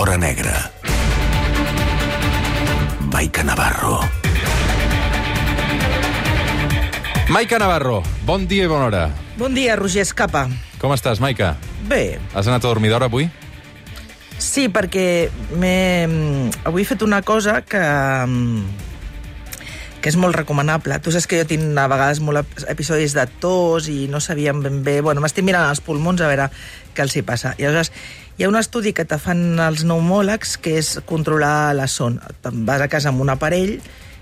l'hora negra. Maica Navarro. Maica Navarro, bon dia i bona hora. Bon dia, Roger Escapa. Com estàs, Maica? Bé. Has anat a dormir d'hora avui? Sí, perquè avui he fet una cosa que és molt recomanable. Tu saps que jo tinc a vegades molts episodis de tos i no sabíem ben bé... Bueno, m'estic mirant els pulmons a veure què els hi passa. I aleshores hi ha un estudi que te fan els pneumòlegs que és controlar la son. Te'n vas a casa amb un aparell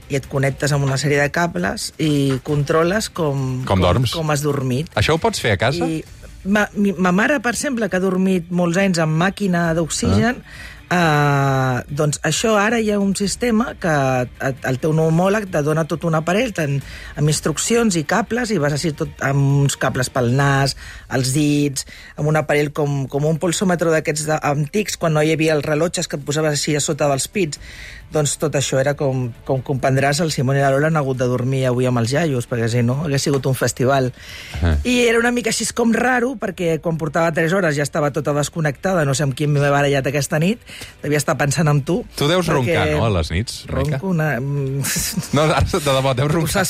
i et connectes amb una sèrie de cables i controles com dorms. Com has dormit. Això ho pots fer a casa? I ma mare, per exemple, que ha dormit molts anys amb màquina d'oxigen, doncs això ara hi ha un sistema que el teu pneumòleg te dona tot un aparell amb instruccions i cables, i vas així tot amb uns cables pel nas, els dits, amb un aparell com un pulsòmetre d'aquests antics, quan no hi havia els rellotges que et posaves així a sota dels pits. Doncs tot això era com comprendràs, el Simón i la Lola han hagut de dormir avui amb els iaios, perquè si no hagués sigut un festival. I era una mica així com raro, perquè quan portava 3 hores ja estava tota desconnectada, no sé amb qui m'he barallat aquesta nit, devia estar pensant en tu. Tu deus roncar, no, a les nits, Maica? Ronco una... No, ara de debò, deus roncar.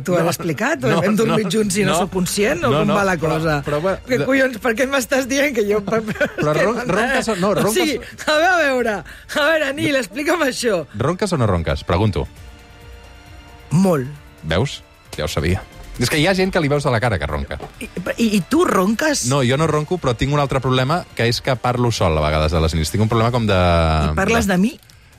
Tu has explicat? Hem dormit junts i no sóc conscient? O com va la cosa? Què collons, per què m'estàs dient que jo... Però ronques o no? O sigui, a veure, Nil, explica'm això. Ronques o no ronques? Pregunto. Molt. Veus? Ja ho sabia. És que hi ha gent que li veus de la cara que ronca. I tu ronques? No, jo no ronco, però tinc un altre problema, que és que parlo sol a vegades a les nits. Tinc un problema com de... I parles de mi?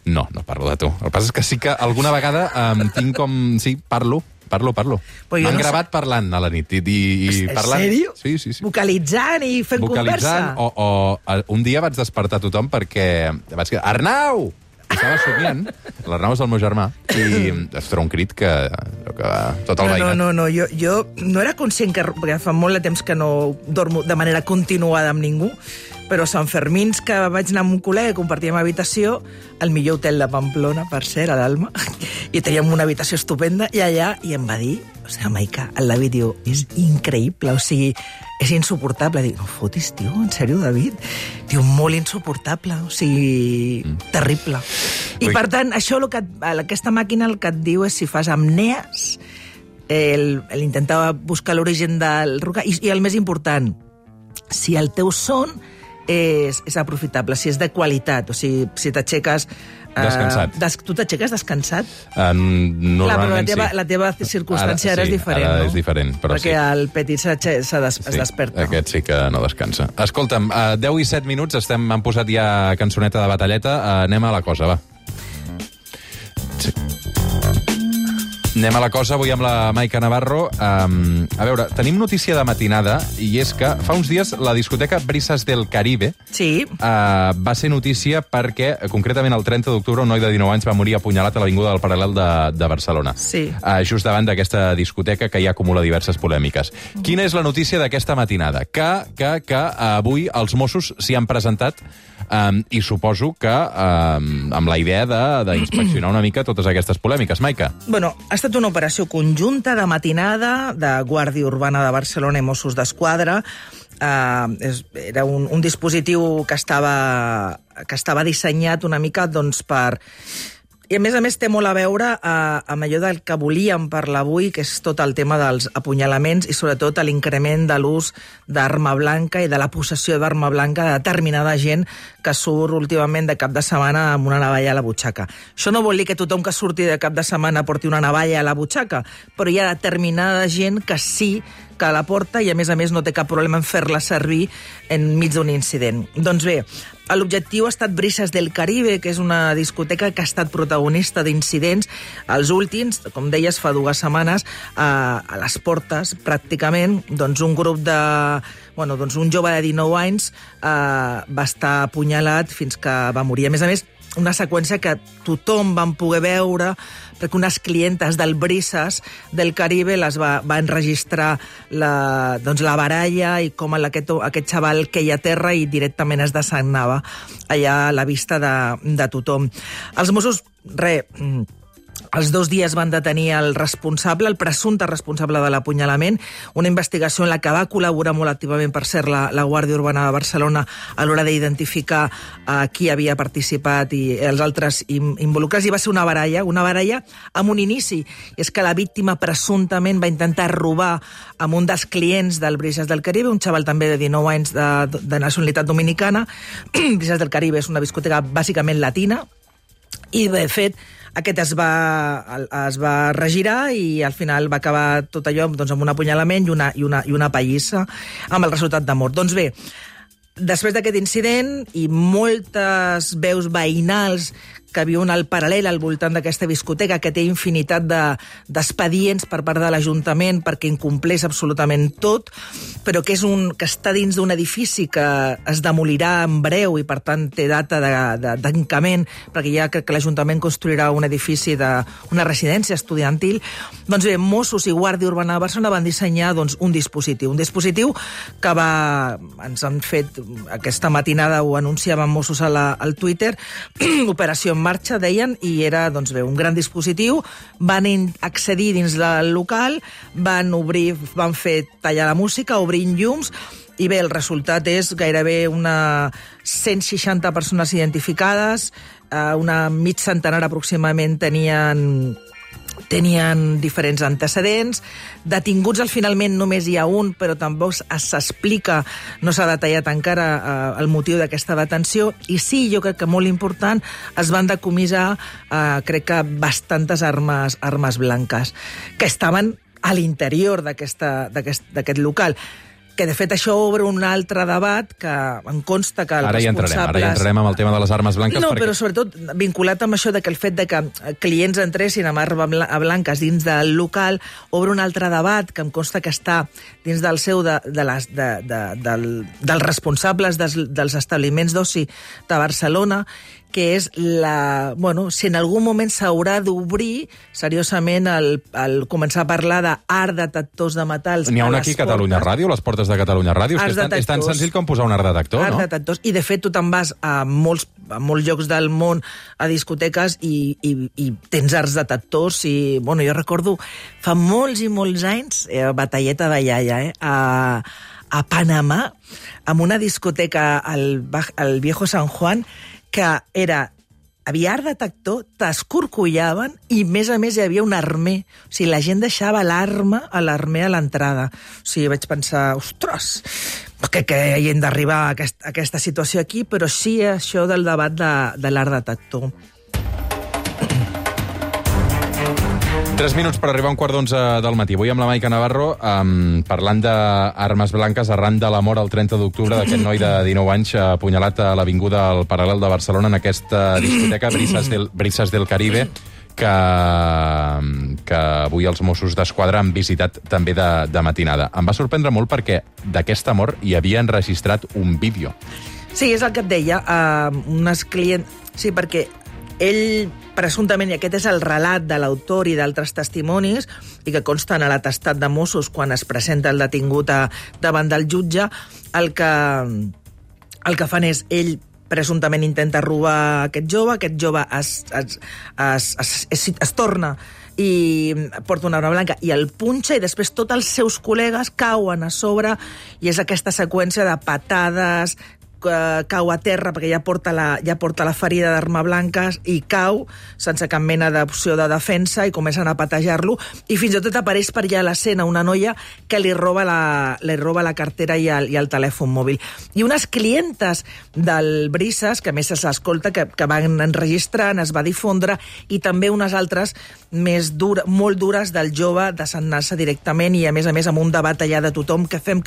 No parlo de tu. El que passa és que sí que alguna vegada tinc com... Sí, parlo. M'han gravat parlant a la nit. En sèrio? Sí. Vocalitzant i fent conversa? O un dia vaig despertar tothom perquè vaig dir, Arnau! Estava somiant, l'Arnau és el meu germà, i es treu un crit que tot el veïnat. No, jo no era conscient perquè fa molt de temps que no dormo de manera continuada amb ningú, però Sant Fermins, que vaig anar amb un col·lega i compartíem habitació, al millor hotel de Pamplona, per cert, a l'Alma, i teníem una habitació estupenda, i allà, i em va dir, Maica, el David diu, és increïble, o sigui, és insuportable. Dic, no fotis, tio, en sèrio, David? Diu, molt insuportable, o sigui, terrible. I per tant, això, aquesta màquina el que et diu és si fas apnees, intentava buscar l'origen del roncar, i el més important, si el teu son és aprofitable, si és de qualitat, o sigui, si t'aixeques... Descansat. Tu t'aixeques descansat? Normalment sí. La teva circumstància ara és diferent, no? Ara és diferent, però perquè el Petit es desperta. Aquest sí que no descansa. Escolta'm, 10 i 7 minuts, han posat ja cançoneta de batalleta, anem a la cosa, va. Sí. Anem a la cosa, avui amb la Maica Navarro. A veure, tenim notícia de matinada, i és que fa uns dies la discoteca Brisas del Caribe va ser notícia perquè, concretament el 30 d'octubre, un noi de 19 anys va morir apunyalat a l'avinguda del Paral·lel de Barcelona. Sí. Just davant d'aquesta discoteca que ja acumula diverses polèmiques. Quina és la notícia d'aquesta matinada? Que avui els Mossos s'hi han presentat i suposo que amb la idea d'inspeccionar una mica totes aquestes polèmiques. Maica? Bueno, ha estat una operació conjunta de matinada de Guàrdia Urbana de Barcelona i Mossos d'Esquadra. Era un dispositiu que estava dissenyat una mica doncs, per... I, a més, té molt a veure amb allò del que volíem parlar avui, que és tot el tema dels apunyalaments i, sobretot, l'increment de l'ús d'arma blanca i de la possessió d'arma blanca de determinada gent que surt últimament de cap de setmana amb una navalla a la butxaca. Això no vol dir que tothom que surti de cap de setmana porti una navalla a la butxaca, però hi ha determinada gent que sí que la porta i, a més, no té cap problema en fer-la servir enmig d'un incident. Doncs bé, l'objectiu ha estat Brisas del Caribe, que és una discoteca que ha estat protagonista d'incidents. Els últims, com deies, fa 2 setmanes, a les portes, pràcticament, doncs un grup de... Bueno, doncs un jove de 19 anys va estar apunyalat fins que va morir. A més, una seqüència que tothom van poder veure, perquè unes clientes del Brisas del Caribe va enregistrar la baralla i com aquest xaval queia a terra i directament es desagnava allà a la vista de tothom. Els Mossos, Als 2 dies van detenir el responsable, el presumpte responsable de l'apunyalament, una investigació en la que va col·laborar molt activament, per cert, la Guàrdia Urbana de Barcelona a l'hora d'identificar qui havia participat i els altres involucrats, i va ser una baralla amb un inici. És que la víctima presumptament va intentar robar amb un dels clients del Brisas del Caribe, un xaval també de 19 anys de nacionalitat dominicana. Brisas del Caribe és una discoteca bàsicament latina, i de fet aquest es va regirar i al final va acabar tot allò doncs, amb un apunyalament i una pallissa amb el resultat de mort. Doncs bé, després d'aquest incident i moltes veus veïnals que viuen al paral·lel al voltant d'aquesta discoteca, que té infinitat d'expedients per part de l'Ajuntament perquè incompleix absolutament tot, però que està dins d'un edifici que es demolirà en breu i, per tant, té data de tancament, perquè ja crec que l'Ajuntament construirà un edifici d'una residència estudiantil. Doncs bé, Mossos i Guàrdia Urbana de Barcelona van dissenyar un dispositiu que ens han fet aquesta matinada, ho anunciaven Mossos al Twitter, Operació en marxa, deien, i era un gran dispositiu. Van accedir dins del local, van fer tallar la música, obrint llums, i bé, el resultat és gairebé 160 persones identificades, una mig centenar aproximadament tenien diferents antecedents. Detinguts finalment només hi ha un, però tampoc s'explica, no s'ha detallat encara el motiu d'aquesta detenció. I sí, jo crec que molt important, es van decomissar, crec que bastantes armes blanques, que estaven a l'interior d'aquest local. Que, de fet, això obre un altre debat que em consta que els responsables... Ara hi entrarem amb el tema de les armes blanques. No, però sobretot vinculat amb això que el fet de que clients entressin amb armes blanques dins del local obre un altre debat que em consta que està dins del seu dels responsables dels establiments d'oci de Barcelona, que és si en algun moment s'haurà d'obrir seriosament el començar a parlar d'art detectors de metalls. N'hi ha un aquí a Catalunya Ràdio, les portes de Catalunya Ràdio, és tan senzill com posar un art detector, no? Art detectors, i de fet tu te'n vas a molts llocs del món, a discoteques, i tens arts detectors, i jo recordo fa molts i molts anys, batalleta de iaia, a Panamà, amb una discoteca al Viejo San Juan, que havia art detector, t'escorcollaven i, a més, hi havia un armer. O sigui, la gent deixava l'armer a l'entrada. O sigui, vaig pensar, ostres, que hi hem d'arribar a aquesta situació aquí, però sí això del debat de l'art detector. 3 minuts per arribar a 11:15 del matí. Avui amb la Maica Navarro, parlant d'armes blanques arran de la mort el 30 d'octubre d'aquest noi de 19 anys apunyalat a l'avinguda al Paral·lel de Barcelona en aquesta discoteca Brisas del Caribe, que avui els Mossos d'Esquadra han visitat també de matinada. Em va sorprendre molt perquè d'aquesta mort hi havia enregistrat un vídeo. Sí, és el que et deia. Unes clients... Sí, perquè ell, presumptament, i aquest és el relat de l'autor i d'altres testimonis, i que consten a l'atestat de Mossos quan es presenta el detingut davant del jutge, el que fan és, ell presumptament intenta robar aquest jove es torna i porta una arma blanca i el punxa, i després tots els seus col·legues cauen a sobre, i és aquesta seqüència de patades, cau a terra perquè ja porta la ferida d'arma blanca i cau sense cap mena d'opció de defensa i comencen a patejar-lo, i fins i tot apareix per allà a l'escena una noia que li roba la cartera i el telèfon mòbil. I unes clientes del Brisas, que a més s'escolta, que van enregistrant, es va difondre, i també unes altres molt dures del jove desant-se directament, i a més amb un debat allà de tothom, què fem,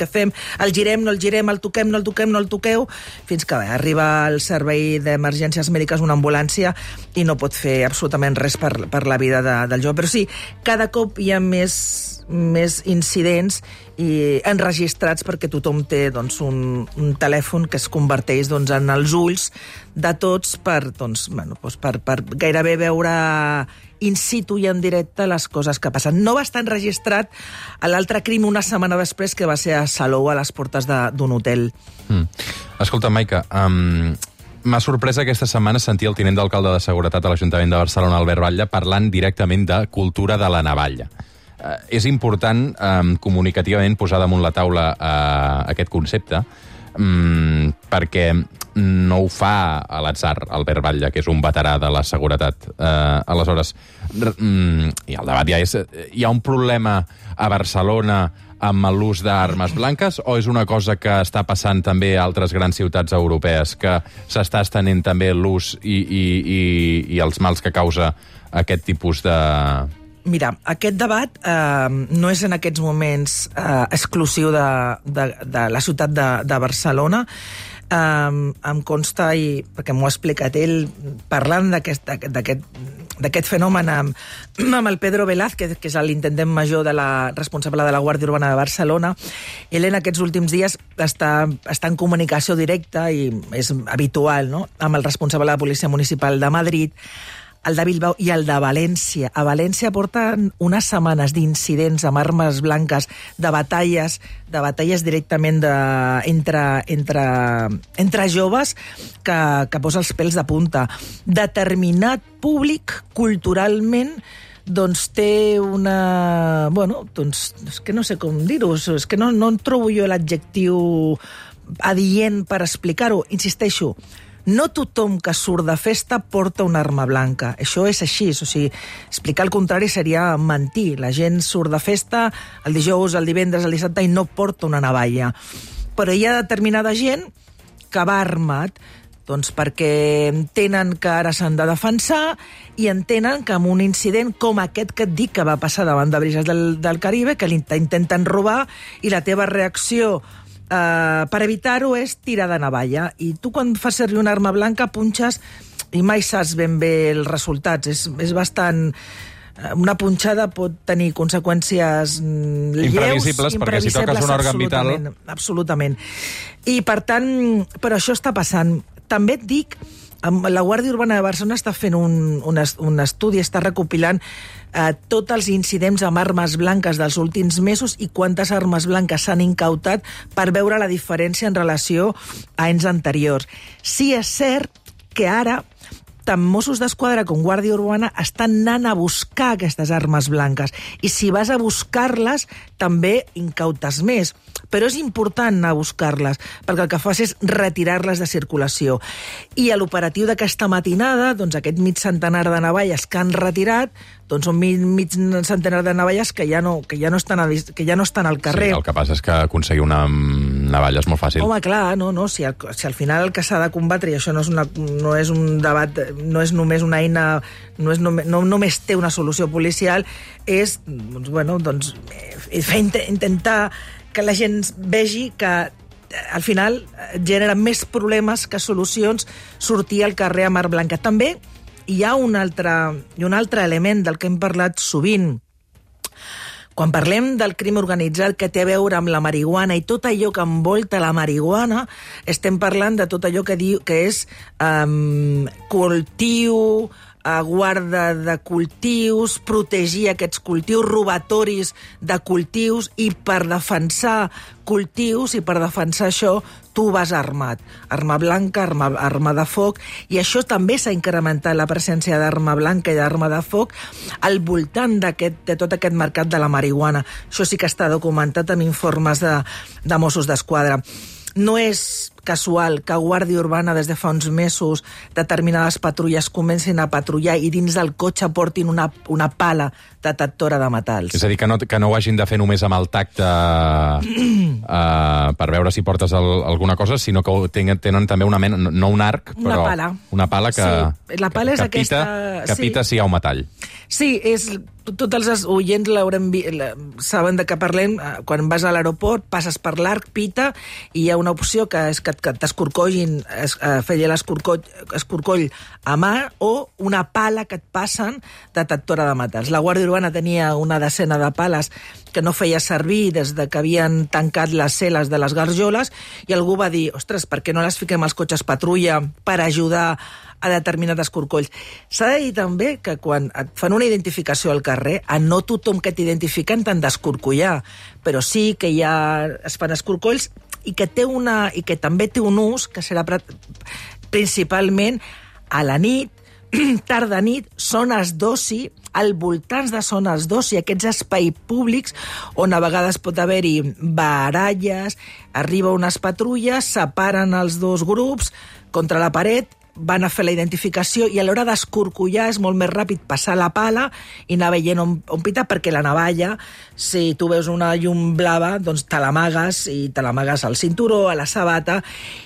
el girem, no el girem, el toquem, no el toqueu, fins que arriba el servei d'emergències mèdiques, una ambulància, i no pot fer absolutament res per la vida del jove. Però sí, cada cop hi ha més incidents i enregistrats perquè tothom té un telèfon que es converteix en els ulls de tots per gairebé veure in situ i en directe les coses que passen. No va estar enregistrat l'altre crim una setmana després, que va ser a Salou, a les portes d'un hotel. Escolta, Maica, m'ha sorprès aquesta setmana sentir el tinent d'alcalde de Seguretat a l'Ajuntament de Barcelona, Albert Batlle, parlant directament de cultura de la navalla. És important comunicativament posar damunt la taula aquest concepte, perquè no ho fa a l'atzar Albert Batlle, que és un veterà de la seguretat. Aleshores, i el debat ja és... Hi ha un problema a Barcelona amb l'ús d'armes blanques, o és una cosa que està passant també a altres grans ciutats europees, que s'està estenent també l'ús i els mals que causa aquest tipus de... Mira, aquest debat no és en aquests moments exclusiu de la ciutat de Barcelona. Em consta, perquè m'ho ha explicat ell, parlant d'aquest fenomen amb el Pedro Velázquez, que és l'intendent major responsable de la Guàrdia Urbana de Barcelona. Ell en aquests últims dies està en comunicació directa, i és habitual, no?, amb el responsable de la Policia Municipal de Madrid, el de Bilbao i el de València. A València porten unes setmanes d'incidents amb armes blanques, de batalles directament entre joves que posa els pèls de punta. Determinat públic, culturalment, doncs té una... Bueno, doncs és que no sé com dir-ho, és que no en trobo jo l'adjectiu adient per explicar-ho. Insisteixo, no tothom que surt de festa porta una arma blanca. Això és així. O sigui, explicar el contrari seria mentir. La gent surt de festa el dijous, el divendres, el dissabte i no porta una navalla. Però hi ha determinada gent que va armat, doncs perquè entenen que ara s'han de defensar i entenen que amb un incident com aquest que et dic que va passar davant de Brises del Caribe, que l'intenten robar i la teva reacció per evitar-ho és tirar de navalla. I tu quan fas servir una arma blanca punxes i mai saps ben bé els resultats. És bastant... Una punxada pot tenir conseqüències imprevisibles, perquè si toques un òrgan vital... Absolutament. I per tant, però això està passant. També et dic, la Guàrdia Urbana de Barcelona està fent un estudi, està recopilant tots els incidents amb armes blanques dels últims mesos i quantes armes blanques s'han incautat per veure la diferència en relació a anys anteriors. Sí, és cert que ara tant Mossos d'Esquadra com Guàrdia Urbana estan anant a buscar aquestes armes blanques. I si vas a buscar-les, també incautes més. Però és important anar a buscar-les, perquè el que fas és retirar-les de circulació. I a l'operatiu d'aquesta matinada, doncs aquest mig centenar de navalles que han retirat, doncs són mig centenar de navalles que ja no estan al carrer. Sí, el que passa és que aconseguir una navalla és molt fàcil. Home, clar, si al final el que s'ha de combatre, i això no és un debat, no és només una eina, no només té una solució policial, és intentar que la gent vegi que al final genera més problemes que solucions sortir al carrer amb arma blanca. També hi ha un altre element del que hem parlat sovint. Quan parlem del crim organitzat que té a veure amb la marihuana i tot allò que envolta la marihuana, estem parlant de tot allò que és cultiu, guarda de cultius, protegir aquests cultius, robatoris de cultius, i per defensar cultius i per defensar això tu vas armat. Arma blanca, arma de foc, i això també s'ha incrementat la presència d'arma blanca i d'arma de foc al voltant de tot aquest mercat de la marihuana. Això sí que està documentat amb informes de Mossos d'Esquadra. No és casual que Guàrdia Urbana des de fa uns mesos determinades patrulles comencin a patrullar i dins del cotxe portin una pala detectora de metalls. És a dir, que no ho hagin de fer només amb el tacte per veure si portes alguna cosa, sinó que tenen també una mena, no un arc, però una pala que, sí, la pala és aquesta, que pita si hi ha un metall. Sí, tots els oients saben de què parlem. Quan vas a l'aeroport, passes per l'arc, pita, i hi ha una opció que és que t'escorcollin, fer l'escorcoll a mà, o una pala que et passen detectora de metalls. La Guàrdia Urbana tenia una desena de pales que no feia servir des de que havien tancat les celes de les garjoles, i algú va dir, ostres, per què no les fiquem als cotxes patrulla per ajudar a determinats escorcolls? S'ha de dir també que quan et fan una identificació al carrer, a no tothom que t'identifiquen t'han d'escorcollar, però sí que es fan escorcolls i que també té un ús, que serà principalment a la nit, tarda nit, zones d'oci, al voltants de zones d'oci, aquests espais públics on a vegades pot haver-hi baralles, arriba unes patrulles, separen els dos grups contra la paret, van a fer la identificació i a l'hora d'escorcollar és molt més ràpid passar la pala i anar veient on pita, perquè la navalla, si tu veus una llum blava, doncs te l'amagues i te l'amagues al cinturó, a la sabata,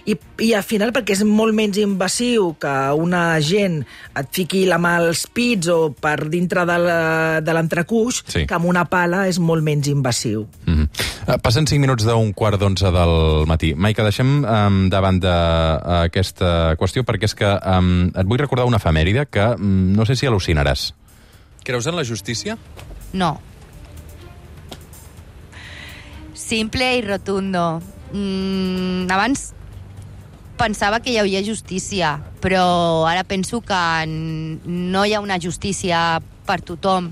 i al final perquè és molt menys invasiu que un agent et fiqui la mà als pits o per dintre de l'entrecuix, Sí. que amb una pala és molt menys invasiu. Passen 5 minuts d'11 del matí. Maica, deixem davant d'aquesta qüestió perquè és que et vull recordar una efemèride que no sé si al·lucinaràs. Creus en la justícia? No. Simple i rotundo. Abans pensava que hi havia justícia, però ara penso que no hi ha una justícia per tothom.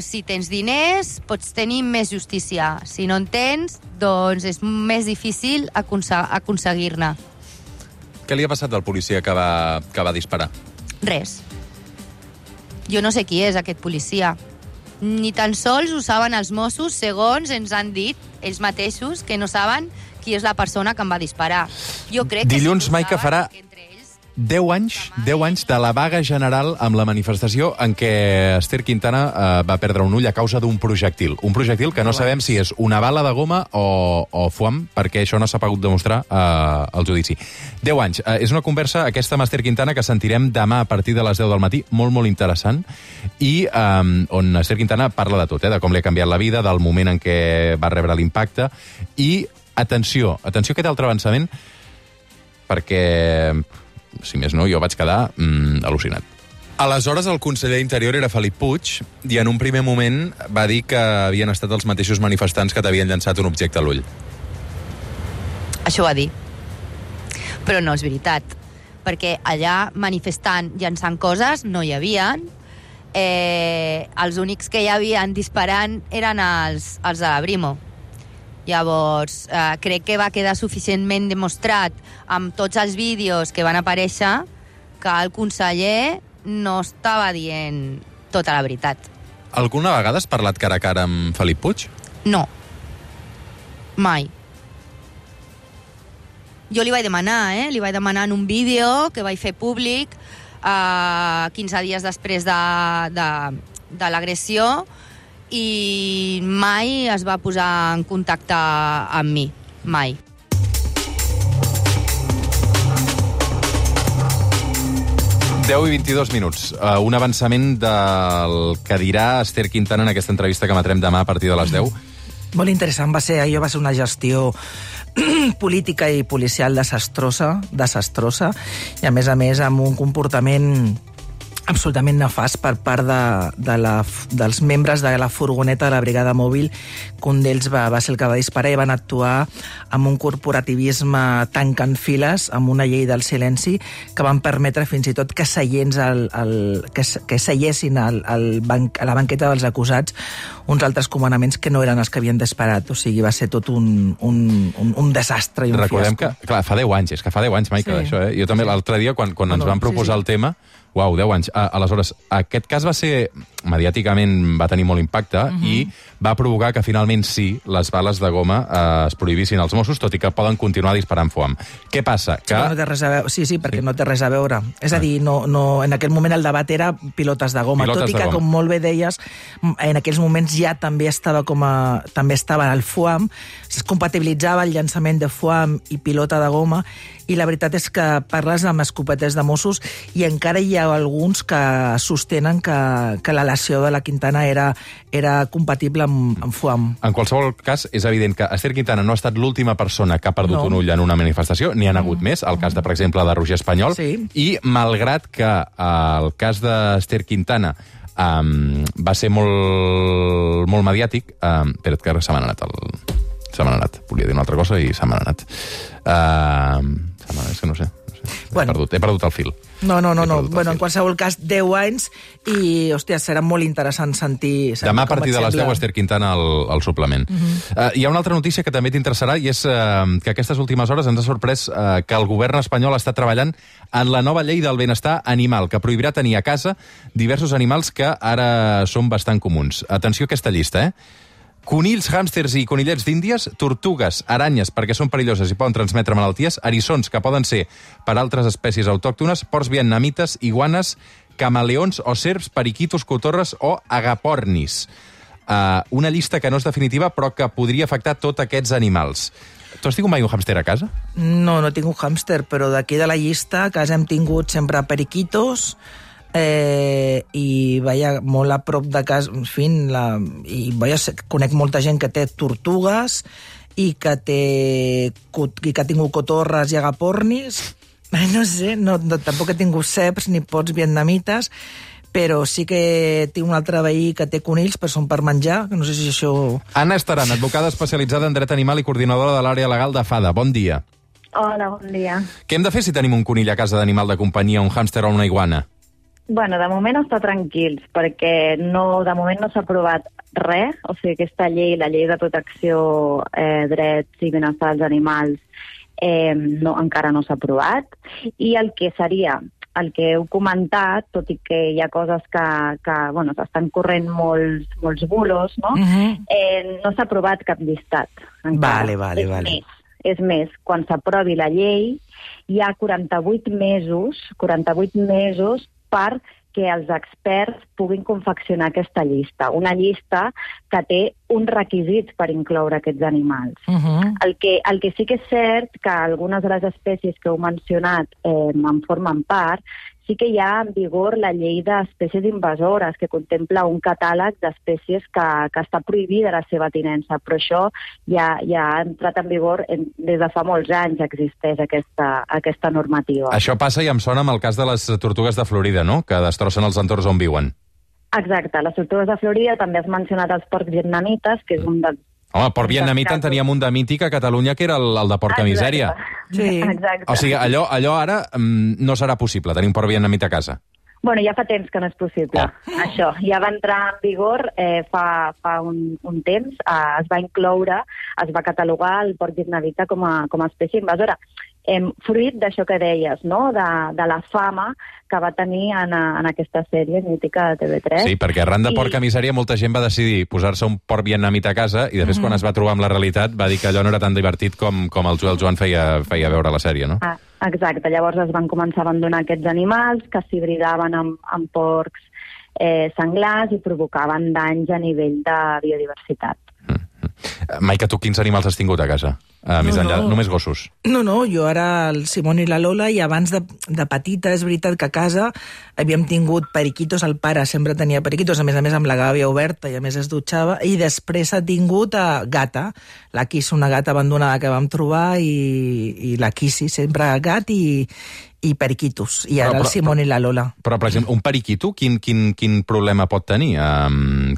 Si tens diners, pots tenir més justícia. Si no en tens, doncs és més difícil aconseguir-ne. Què li ha passat al policia que va disparar? Res. Jo no sé qui és aquest policia. Ni tan sols ho saben els Mossos, segons ens han dit ells mateixos, que no saben qui és la persona que em va disparar. Jo crec que Dilluns, si Maica, saben, farà entre ells 10 anys de la vaga general amb la manifestació en què Ester Quintana va perdre un ull a causa d'un projectil. Un projectil que no sabem si és una bala de goma o foam, perquè això no s'ha pogut demostrar al judici. 10 anys. És una conversa, aquesta amb Ester Quintana, que sentirem demà a partir de les 10 del matí, molt, molt interessant, i on Ester Quintana parla de tot, de com li ha canviat la vida, del moment en què va rebre l'impacte, i atenció a aquest altre avançament, perquè si més no, jo vaig quedar al·lucinat. Aleshores, el conseller d'Interior era Felip Puig i en un primer moment va dir que havien estat els mateixos manifestants que t'havien llançat un objecte a l'ull. Això va dir. Però no és veritat, perquè allà manifestant, llançant coses, no hi havien. Els únics que hi havien disparant eren els de la Brimo. Llavors, crec que va quedar suficientment demostrat amb tots els vídeos que van aparèixer que el conseller no estava dient tota la veritat. Alguna vegada has parlat cara a cara amb Felip Puig? No. Mai. Jo li vaig demanar, Li vaig demanar en un vídeo que vaig fer públic 15 dies després de l'agressió, i mai es va posar en contacte amb mi. Mai. Deu i 22 minuts. Un avançament del que dirà Ester Quintana en aquesta entrevista que emetrem demà a partir de les 10. Molt interessant va ser una gestió política i policial desastrosa, i a més amb un comportament absolutament nefast per part dels membres de la furgoneta de la brigada mòbil, que un d'ells va ser el que va disparar i van actuar amb un corporativisme tancant files, amb una llei del silenci, que van permetre fins i tot que seiessin a la banqueta dels acusats uns altres comandaments que no eren els que havien disparat. O sigui, va ser tot un desastre i un Recordem fiasco. que, clar, fa 10 anys, és que fa 10 anys, Maica, Sí. això, Jo també l'altre dia, quan ens van proposar el tema, uau, 10 anys. Aleshores, aquest cas va ser, mediàticament va tenir molt impacte i va provocar que finalment sí, les bales de goma es prohibissin als Mossos, tot i que poden continuar disparant foam. Què passa? Que... No té res a veure. Sí, perquè no té res a veure. És a dir, no, en aquell moment el debat era pilotes de goma, tot i que, com molt bé deies, en aquells moments ja també estava el foam, es compatibilitzava el llançament de foam i pilota de goma, i la veritat és que parles amb escopetes de Mossos i encara hi ha alguns que sostenen que la lesió de la Quintana era compatible amb foam. En qualsevol cas, és evident que Ester Quintana no ha estat l'última persona que ha perdut un ull en una manifestació, n'hi ha hagut més, el cas, per exemple, de Roger Espanyol, i malgrat que el cas d'Ester Quintana va ser molt mediàtic, espera't que ara se m'ha anat, volia dir una altra cosa i se m'ha anat. És que no sé. He perdut el fil. No. Bueno, en qualsevol cas, 10 anys i, hòstia, serà molt interessant sentir demà a partir de les 10, Esther Quintana, al suplement. Hi ha una altra notícia que també t'interessarà i és que aquestes últimes hores ens ha sorprès que el govern espanyol està treballant en la nova llei del benestar animal, que prohibirà tenir a casa diversos animals que ara són bastant comuns. Atenció a aquesta llista, conills, hàmsters i conillets d'Índies, tortugues, aranyes, perquè són perilloses i poden transmetre malalties, eriçons, que poden ser per altres espècies autòctones, porcs vietnamites, iguanes, camaleons o serps, periquitos, cotorres o agapornis. Una llista que no és definitiva, però que podria afectar tots aquests animals. Tu has tingut mai un hàmster a casa? No he tingut hàmster, però d'aquí de la llista a casa hem tingut sempre periquitos, i vaja, molt a prop de casa, en fi, conec molta gent que té tortugues i que ha tingut cotorres i agapornis. No sé, tampoc he tingut ceps ni pots vietnamites, però sí que tinc un altre veí que té conills, però són per menjar, que no sé si això... Anna Estaran, advocada especialitzada en dret animal i coordinadora de l'àrea legal de FADA. Bon dia. Hola, bon dia. Què hem de fer si tenim un conill a casa d'animal de companyia, un hàmster o una iguana? Bueno, de moment està tranquils, perquè de moment no s'ha aprovat res, o sigui, aquesta llei, la llei de protecció, drets i benestar dels animals, encara no s'ha aprovat, i el que heu comentat, tot i que hi ha coses que s'estan corrent molts bulos, no? No s'ha aprovat cap llistat. Vale. És més, quan s'aprovi la llei, hi ha 48 mesos perquè els experts puguin confeccionar aquesta llista. Una llista que té uns requisits per incloure aquests animals. El que sí que és cert que algunes de les espècies que heu mencionat en formen part, sí que hi ha en vigor la llei d'espècies invasores, que contempla un catàleg d'espècies que està prohibida la seva tinença, però això ja ha entrat en vigor des de fa molts anys, existeix aquesta normativa. Això passa, i em sona, amb el cas de les tortugues de Florida, no?, que destrossen els entorns on viuen. Exacte, les tortugues de Florida, també has mencionat els porcs vietnamites, que és un dels... Home, porc vietnamita en teníem un de mític a Catalunya, que era el de porca misèria. Sí. Exacte. O sigui, allò ara no serà possible, tenir un porc vietnamita a casa. Bueno, ja fa temps que no és possible, això. Ja va entrar en vigor fa un temps, es va incloure, es va catalogar el porc vietnamita com a espècie invasora. Fruit d'això que deies, no?, de la fama que va tenir en aquesta sèrie mítica de TV3. Sí, perquè arran de porca misèria molta gent va decidir posar-se un porc vietnamita a casa i després quan es va trobar amb la realitat va dir que allò no era tan divertit com el Joan feia veure la sèrie, no? Exacte, llavors es van començar a abandonar aquests animals que s'hibridaven amb porcs senglars i provocaven danys a nivell de biodiversitat. Maica, tu quins animals has tingut a casa? Més enllà, només gossos? No, jo ara el Simón i la Lola, i abans de petita és veritat que a casa havíem tingut periquitos, el pare sempre tenia periquitos, a més amb la gàbia oberta i a més es dutxava, i després ha tingut gata, la Kiss, una gata abandonada que vam trobar, i la Kiss, sempre gat i periquitos, i ara el Simón i la Lola. Però, per exemple, un periquito, quin problema pot tenir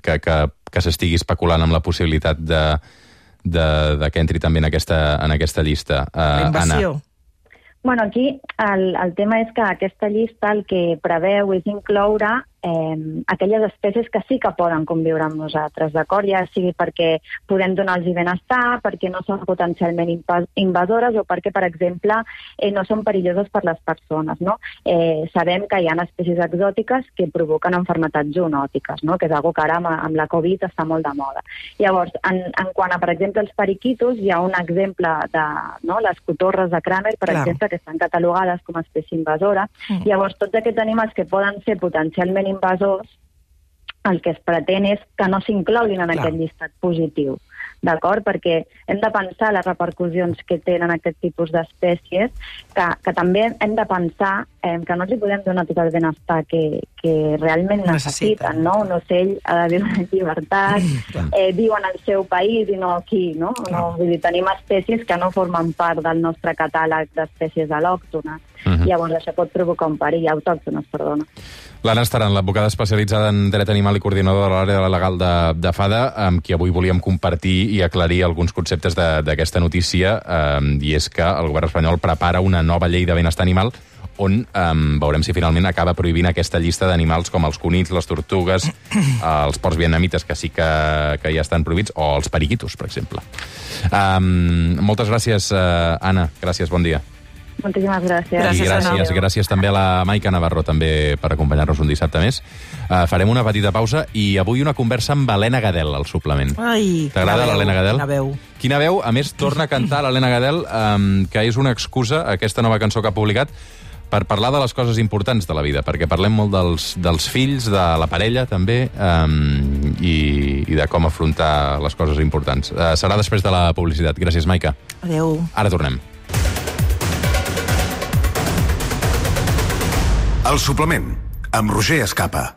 que s'estigui especulant amb la possibilitat de que entri també en aquesta llista? La invasió. Anna. Bueno, aquí el tema és que aquesta llista el que preveu és incloure aquelles espècies que sí que poden conviure amb nosaltres, d'acord? Ja sigui perquè podem donar-los benestar, perquè no són potencialment invasores o perquè, per exemple, no són perilloses per les persones, no? Sabem que hi ha espècies exòtiques que provoquen malalties zoonòtiques, no?, que és una que ara amb la Covid està molt de moda. Llavors, en quant a, per exemple, els periquitos, hi ha un exemple de les cotorres de Kramer, per exemple, que estan catalogades com a espècie invasora. Llavors, tots aquests animals que poden ser potencialment invasors, el que es pretén és que no s'incloguin en aquest llistat positiu, d'acord? Perquè hem de pensar les repercussions que tenen aquest tipus d'espècies, que també hem de pensar que no els podem donar tot el benestar que realment necessiten, no? Un ocell ha de viure en llibertat, viu en el seu país i no aquí, no? Vull dir, tenim espècies que no formen part del nostre catàleg d'espècies al·lòctones. Llavors això pot provocar un perill, autòctones, perdona. L'Anna Estaran, l'advocada especialitzada en dret animal i coordinadora de l'àrea legal de FADA, amb qui avui volíem compartir i aclarir alguns conceptes d'aquesta notícia, i és que el govern espanyol prepara una nova llei de benestar animal on veurem si finalment acaba prohibint aquesta llista d'animals com els conills, les tortugues, els porcs vietnamites, que sí que ja estan prohibits, o els periquitos, per exemple. Moltes gràcies, Anna. Gràcies, bon dia. Moltíssimes gràcies. I gràcies també a la Maica Navarro també per acompanyar-nos un dissabte més. Farem una petita pausa i avui una conversa amb Helena Gadel, al suplement. Ai, t'agrada l'Helena Gadel? Quina veu. Quina veu. A més, torna a cantar l'Helena Gadel, que és una excusa, aquesta nova cançó que ha publicat, per parlar de les coses importants de la vida, perquè parlem molt dels fills, de la parella, també, i de com afrontar les coses importants. Serà després de la publicitat. Gràcies, Maica. Adéu. Ara tornem. El suplement, amb Roger Escapa.